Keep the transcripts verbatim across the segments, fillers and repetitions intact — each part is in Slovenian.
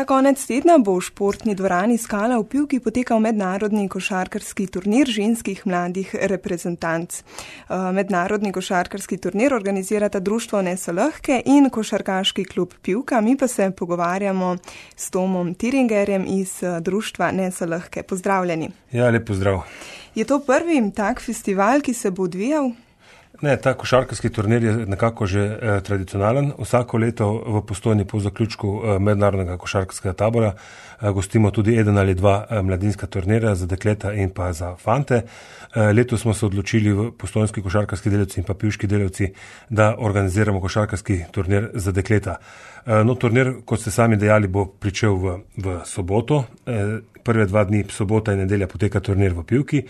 konec tedna bo v športni dvorani Skala v Pivki potekal mednarodni košarkarski turnir ženskih mladih reprezentanc. Mednarodni košarkarski turnir organizirata društvo Nesolahke in košarkaški klub Pivka. Mi pa se pogovarjamo s Tomom Tiringerjem iz društva Nesolahke. Pozdravljeni. Ja, lep pozdrav. Je to prvi tak festival, ki se bo odvijal? Ne, ta košarkarski turnir je nekako že eh, tradicionalen. Vsako leto v Postojni po zaključku eh, mednarodnega košarkarskega tabora eh, gostimo tudi eden ali dva eh, mladinska turnirja za dekleta in pa za fante. Eh, letos smo se odločili v postojnski košarkarski delavci in pa pivški delavci, da organiziramo košarkarski turnir za dekleta. Eh, no, turnir, kot ste sami dejali, bo pričel v, v soboto. Eh, Prve dva dni, sobota in nedelja, poteka turnir v Pivki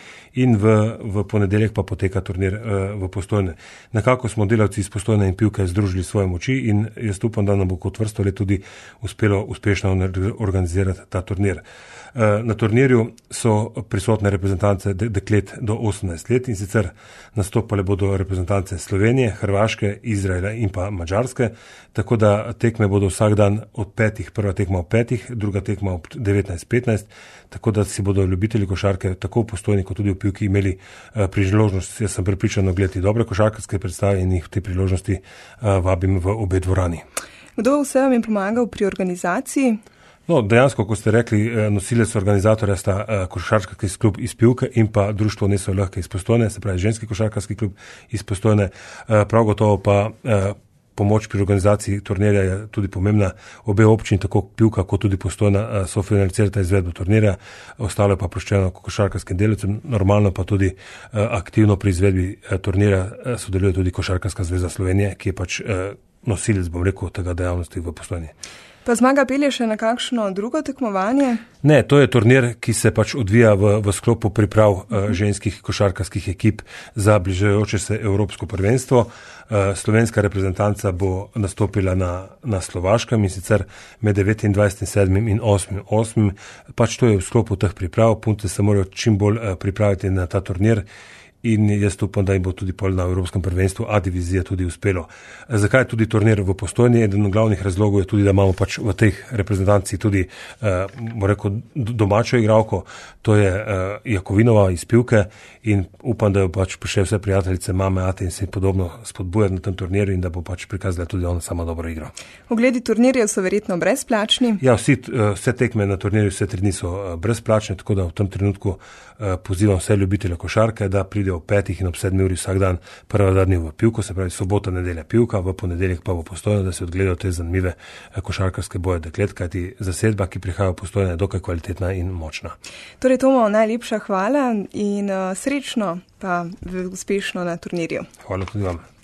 in v, v ponedeljek pa poteka turnir uh, v Postojne. Nekako smo delavci iz Postojne in Pivke združili svoje moči in jaz upam, da nam bo kot vrsto let tudi uspelo uspešno organizirati ta turnir. Uh, na turnirju so prisotne reprezentance de- deklet do osemnajst let in sicer nastopale bodo reprezentance Slovenije, Hrvaške, Izraela in pa Madžarske, tako da tekme bodo vsak dan od petih, prva tekma ob petih, druga tekma ob devetnajst petnajst, tako da si bodo ljubitelji košarke tako v Postojni kot tudi v Pivki imeli uh, priložnost, jaz sem prepričan, gledati dobre košarkarske predstave in jih v te priložnosti uh, vabim v obe dvorani. Kdo vse vam je pomagal pri organizaciji? No, dejansko, kot ste rekli, nosilec organizatorja sta košarkarski klub iz Pivke in pa društvo Nesolahke iz Postojne, se pravi ženski košarkarski klub iz Postojne. Prav gotovo pa pomoč pri organizaciji turnirja je tudi pomembna. Obe občini, tako Pivka kot tudi Postojna, so financirata izvedbo turnirja, ostalo je pa proščeno košarkarskim delavcem, normalno pa tudi aktivno pri izvedbi turnirja sodeluje tudi Košarkarska zveza Slovenije, ki je pač nosilec, bom rekel, tega dejavnosti v Postojni. Pa zmaga pelje še na kakšno drugo tekmovanje? Ne, to je turnir, ki se pač odvija v, v sklopu priprav uh, ženskih košarkarskih ekip za bližajoče se Evropsko prvenstvo. Uh, slovenska reprezentanca bo nastopila na, na Slovaškem in sicer med devetindvajsetim sedmim in osmim osmim. Pač to je v sklopu teh priprav, punce se morajo čim bolj uh, pripraviti na ta turnir. In jaz upam, da jim bo tudi pol na Evropskem prvenstvu A divizije tudi uspelo. Zakaj je tudi turnir v Postojni? Eden od glavnih razlogov je tudi, da imamo pač v teh reprezentanci tudi, eh, bo rekel, domačo igralko, to je eh, Jakovinova iz Pivke in upam, da jo pač prišle vse prijateljice, mame, ate in se podobno spodbujati na tem turnirju in da bo pač prikazala tudi ona sama dobro igro. Ogledi turnirjev so verjetno brezplačni? Ja, vsi, vse tekme na turnirju, vse tri dni so brezplačne, tako da v tem trenutku eh, pozivam vse ljubitelje košarke, da pride ob petih in ob sedmi uri vsak dan, prva dva dni v Pivko, se pravi sobota, nedelja Pivka, v ponedeljek pa v Postojno, da se odgledajo te zanimive košarkarske boje deklet, kajti zasedba, ki prihaja v Postojno, je dokaj kvalitetna in močna. Torej, Tomo, najlepša hvala in uh, srečno pa uspešno na turnirju. Hvala tudi vam.